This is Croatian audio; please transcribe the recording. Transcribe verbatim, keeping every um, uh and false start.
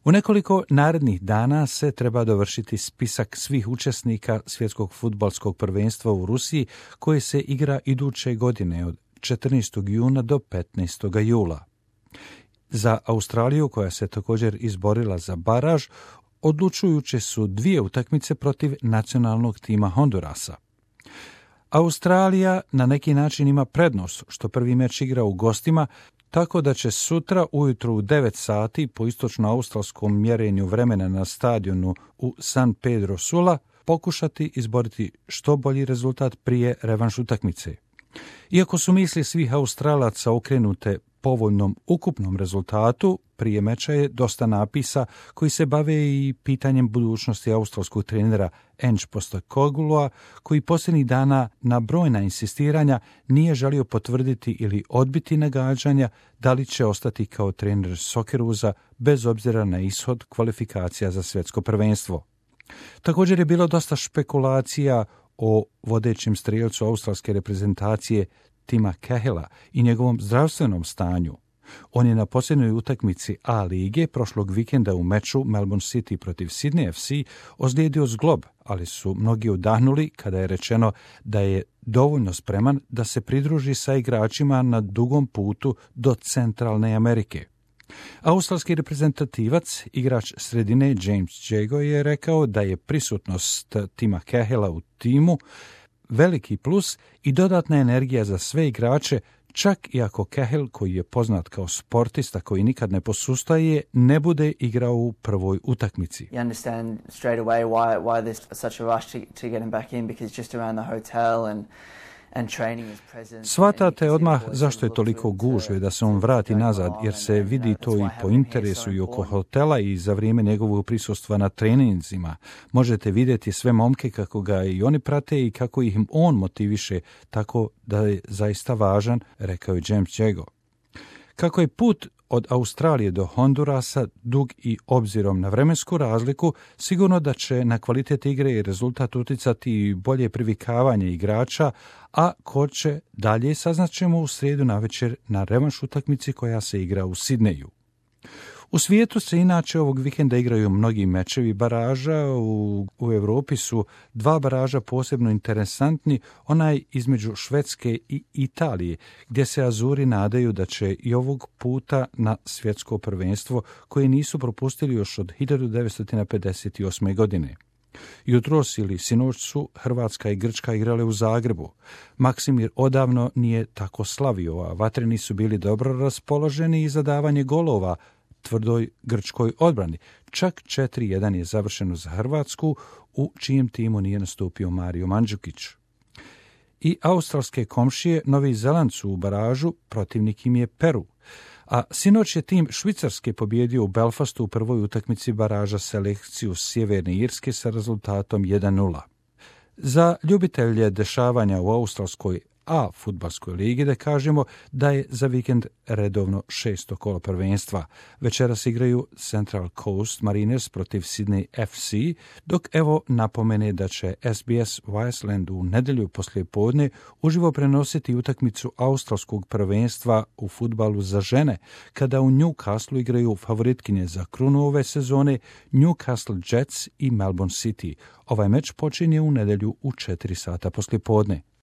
U nekoliko narednih dana se treba dovršiti spisak svih učesnika svjetskog fudbalskog prvenstva u Rusiji koje se igra iduće godine od četrnaestog juna do petnaestog jula. Za Australiju, koja se također izborila za baraž, odlučujuće su dvije utakmice protiv nacionalnog tima Hondurasa. Australija na neki način ima prednost što prvi meč igra u gostima, tako da će sutra ujutro u devet sati po istočno-australskom mjerenju vremena na stadionu u San Pedro Sula pokušati izboriti što bolji rezultat prije revanš utakmice. Iako su misli svih Australaca okrenute povoljnom ukupnom rezultatu, prije meča je dosta napisa koji se bave i pitanjem budućnosti australskog trenera Ange Postecoglou'a, koji posljednjih dana na brojna insistiranja nije želio potvrditi ili odbiti nagađanja da li će ostati kao trener Soccerusa bez obzira na ishod kvalifikacija za svjetsko prvenstvo. Također je bilo dosta špekulacija o vodećem strijelcu australske reprezentacije Tima Cahilla i njegovom zdravstvenom stanju. On je na posljednjoj utakmici A lige prošlog vikenda u meču Melbourne City protiv Sydney F C ozlijedio zglob, ali su mnogi udahnuli kada je rečeno da je dovoljno spreman da se pridruži sa igračima na dugom putu do Centralne Amerike. Australski reprezentativac, igrač sredine James Jago je rekao da je prisutnost Tima Cahilla u timu veliki plus i dodatna energija za sve igrače, čak i ako Cahill, koji je poznat kao sportista koji nikad ne posustaje, ne bude igrao u prvoj utakmici. You understand straight away why why there's such a rush to to get him back in, because just around the hotel and Shvatate odmah zašto je toliko gužve da se on vrati nazad, jer se vidi to i po interesu i oko hotela i za vrijeme njegovog prisustva na treninzima. Možete vidjeti sve momke kako ga i oni prate i kako ih on motiviše, tako da je zaista važan, rekao je James Jago. Kako je put od Australije do Hondurasa dug i obzirom na vremensku razliku, sigurno da će na kvalitet igre i rezultat utjecati i bolje privikavanje igrača, a ko će dalje saznaćemo u srijedu navečer na revanš utakmici koja se igra u Sidneju. U svijetu se inače ovog vikenda igraju mnogi mečevi baraža. U, u Europi su dva baraža posebno interesantni, onaj između Švedske i Italije, gdje se Azuri nadaju da će i ovog puta na svjetsko prvenstvo, koje nisu propustili još od hiljadu devetsto pedeset osme. godine. Jutros ili sinoć su Hrvatska i Grčka igrale u Zagrebu. Maksimir odavno nije tako slavio, a vatreni su bili dobro raspoloženi i za davanje golova tvrdoj grčkoj odbrani. Čak četiri jedan je završeno za Hrvatsku, u čijem timu nije nastupio Mario Mandžukić. I australske komšije Novi Zeland su u baražu, protivnik im je Peru. A sinoć je tim Švicarske pobjedio u Belfastu u prvoj utakmici baraža selekciju Sjeverne Irske sa rezultatom jedan nula. Za ljubitelje dešavanja u australskoj A fudbalskoj ligi da kažemo da je za vikend redovno šesto kolo prvenstva. Večeras igraju Central Coast Mariners protiv Sydney F C, dok evo napomene da će S B S Viceland u nedjelju poslijepodne uživo prenositi utakmicu australskog prvenstva u fudbalu za žene, kada u Newcastle igraju favoritkinje za krunu ove sezone Newcastle Jets i Melbourne City. Ovaj meč počinje u nedjelju u četiri sata poslijepodne.